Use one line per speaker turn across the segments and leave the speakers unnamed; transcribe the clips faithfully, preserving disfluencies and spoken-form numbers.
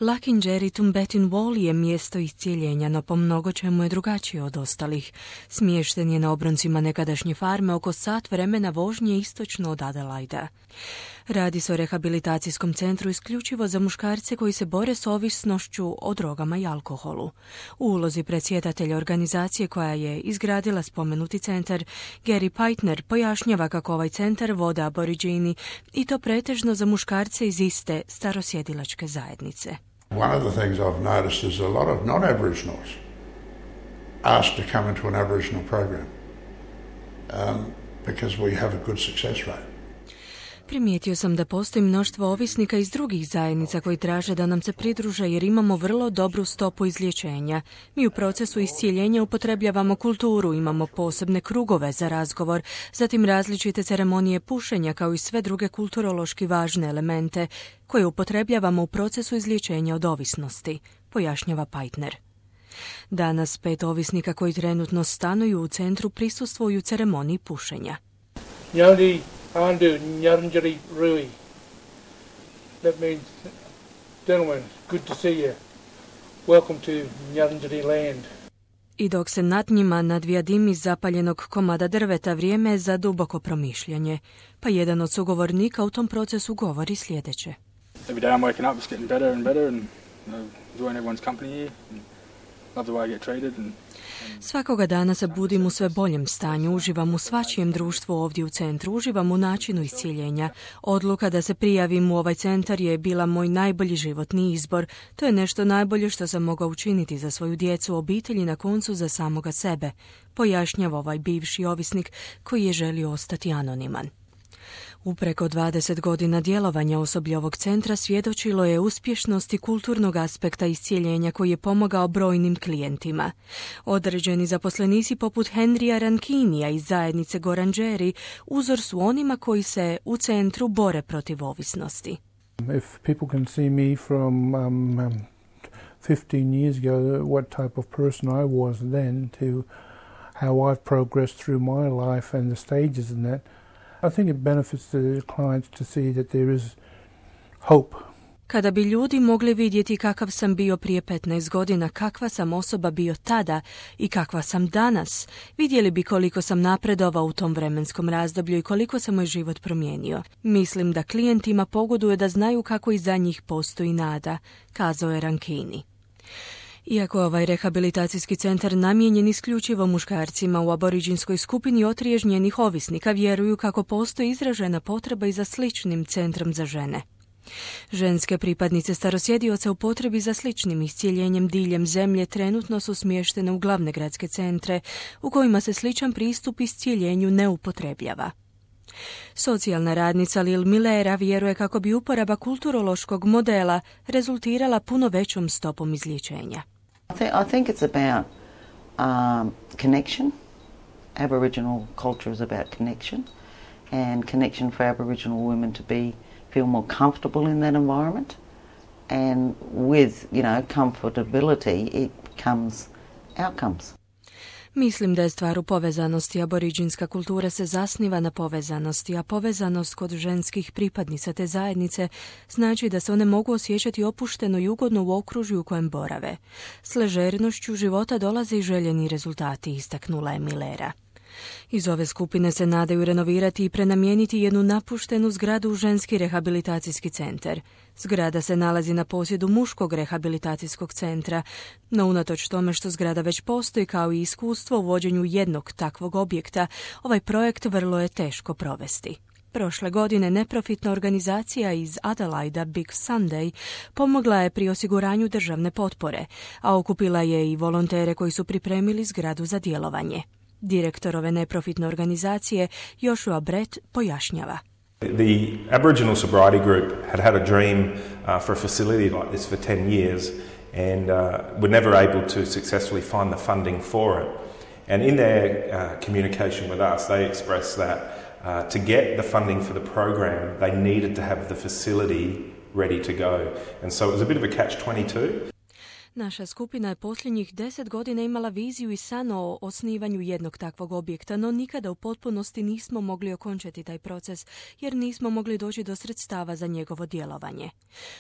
Lakindjeri Tumbetin Wall je mjesto iscijeljenja, no po mnogo čemu je drugačije od ostalih. Smješten je na obroncima nekadašnje farme oko sat vremena vožnje istočno od Adelaida. Radi se o rehabilitacijskom centru isključivo za muškarce koji se bore s ovisnošću o drogama i alkoholu. U ulozi predsjedatelja organizacije koja je izgradila spomenuti centar, Gary Pajtner pojašnjava kako ovaj centar vode aboriđini i to pretežno za muškarce iz iste starosjedilačke zajednice.
One of the things I've noticed is a lot of non-Aboriginals asked to come into an Aboriginal program um, because we have a good success rate.
Primijetio sam da postoji mnoštvo ovisnika iz drugih zajednica koji traže da nam se pridruže jer imamo vrlo dobru stopu izlječenja. Mi u procesu iscijeljenja upotrebljavamo kulturu, imamo posebne krugove za razgovor, zatim različite ceremonije pušenja kao i sve druge kulturološki važne elemente koje upotrebljavamo u procesu izlječenja od ovisnosti, pojašnjava Pajtner. Danas pet ovisnika koji trenutno stanuju u centru prisustvuju ceremoniji pušenja.
Yali Andu Nyaranjari Rui. That means, gentlemen, good to see you. Welcome to Nyaranjari land.
I dok se nad njima nadvija dim iz zapaljenog komada drveta, vrijeme je za duboko promišljanje. Pa jedan od sugovornika u tom procesu govori sljedeće.
Every day I'm waking up, it's getting better and better and you know, enjoying everyone's company here. And love the way I get treated and
Svakoga dana se budim u sve boljem stanju, uživam u svačijem društvu ovdje u centru, uživam u načinu iscijeljenja. Odluka da se prijavim u ovaj centar je bila moj najbolji životni izbor. To je nešto najbolje što sam mogao učiniti za svoju djecu, obitelj i na koncu za samoga sebe, pojašnjava ovaj bivši ovisnik koji je želio ostati anoniman. U preko dvadeset godina djelovanja osoblja ovog centra svjedočilo je uspješnosti kulturnog aspekta iscijeljenja koji je pomogao brojnim klijentima. Određeni zaposlenici poput Henrya Rankinija iz zajednice Gorandjeri uzor su onima koji se u centru bore protiv ovisnosti.
If people can see me from um, um, fifteen years ago, what type of person I was then to how I've progressed through my life and the stages in that, I think it benefits the clients to see that there is hope.
Kada bi ljudi mogli vidjeti kakav sam bio prije petnaest godina, kakva sam osoba bio tada i kakva sam danas, vidjeli bi koliko sam napredovao u tom vremenskom razdoblju i koliko se moj život promijenio. Mislim da klijentima pogoduje da znaju kako iza njih postoji nada, kazao je Rankini. Iako ovaj rehabilitacijski centar namijenjen isključivo muškarcima, u aboriđinskoj skupini otriježnjenih ovisnika vjeruju kako postoji izražena potreba i za sličnim centrom za žene. Ženske pripadnice starosjedioca u potrebi za sličnim iscijeljenjem diljem zemlje trenutno su smještene u glavne gradske centre u kojima se sličan pristup iscijeljenju ne upotrebljava. Socijalna radnica Lil Millera vjeruje kako bi uporaba kulturološkog modela rezultirala puno većom stopom izlječenja.
I think it's about um, connection. Aboriginal culture is about connection, and connection for Aboriginal women to be feel more comfortable in that environment. And with, you know, comfortability, it comes outcomes.
Mislim da je stvar u povezanosti. Aboriđinska kultura se zasniva na povezanosti, a povezanost kod ženskih pripadnica te zajednice znači da se one mogu osjećati opušteno i ugodno u okružju u kojem borave. S ležernošću života dolaze i željeni rezultati, istaknula je Millera. Iz ove skupine se nadaju renovirati i prenamijeniti jednu napuštenu zgradu u ženski rehabilitacijski centar. Zgrada se nalazi na posjedu muškog rehabilitacijskog centra, no unatoč tome što zgrada već postoji kao i iskustvo u vođenju jednog takvog objekta, ovaj projekt vrlo je teško provesti. Prošle godine neprofitna organizacija iz Adelaida Big Sunday pomogla je pri osiguranju državne potpore, a okupila je i volontere koji su pripremili zgradu za djelovanje. Direktor ove neprofitne organizacije Joshua Brett pojašnjava.
The Aboriginal Sobriety Group had had a dream uh, for a facility like this for ten years and uh, were never able to successfully find the funding for it. And in their uh, communication with us, they expressed that uh, to get the funding for the program, they needed to have the facility ready to go. And so it was a bit of a catch twenty-two.
Naša skupina je posljednjih deset godina imala viziju i san o osnivanju jednog takvog objekta, no nikada u potpunosti nismo mogli okončati taj proces, jer nismo mogli doći do sredstava za njegovo djelovanje.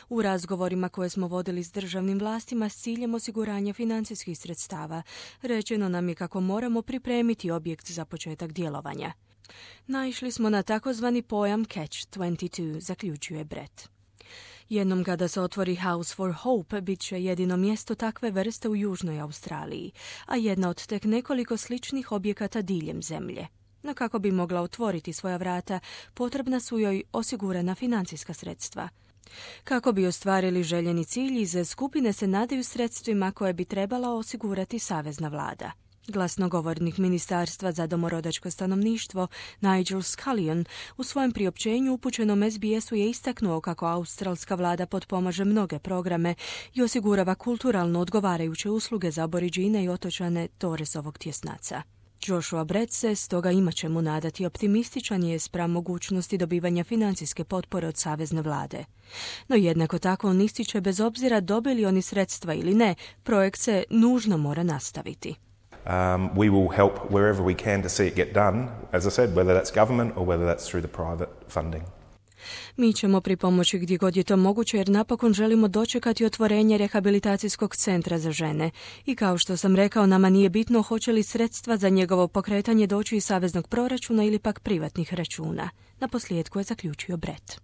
U razgovorima koje smo vodili s državnim vlastima s ciljem osiguranja financijskih sredstava, rečeno nam je kako moramo pripremiti objekt za početak djelovanja. Naišli smo na takozvani pojam Catch dvadeset dva, zaključuje Brett. Jednom kada se otvori House for Hope, bit će jedino mjesto takve vrste u Južnoj Australiji, a jedna od tek nekoliko sličnih objekata diljem zemlje. No kako bi mogla otvoriti svoja vrata, potrebna su joj osigurana financijska sredstva. Kako bi ostvarili željeni cilj, iz skupine se nadaju sredstvima koje bi trebala osigurati savezna vlada. Glasnogovornik Ministarstva za domorodačko stanovništvo Nigel Scullion u svojem priopćenju upućenom es be esu je istaknuo kako australska vlada potpomaže mnoge programe i osigurava kulturalno odgovarajuće usluge za aboriđine i otočane Torresovog tjesnaca. Joshua Brett se stoga ima čemu nadati, optimističan je spram mogućnosti dobivanja financijske potpore od savezne vlade. No jednako tako on ističe, bez obzira dobili oni sredstva ili ne, projekt se nužno mora nastaviti.
Um, we will help wherever we can to see it get done, as I said, whether that's government or whether that's through the private funding.
Mi ćemo pripomoći gdje god je to moguće, jer napokon želimo dočekati otvorenje rehabilitacijskog centra za žene. I kao što sam rekao, nama nije bitno hoće li sredstva za njegovo pokretanje doći iz saveznog proračuna ili pak privatnih računa. Na posljedku je zaključio Brett.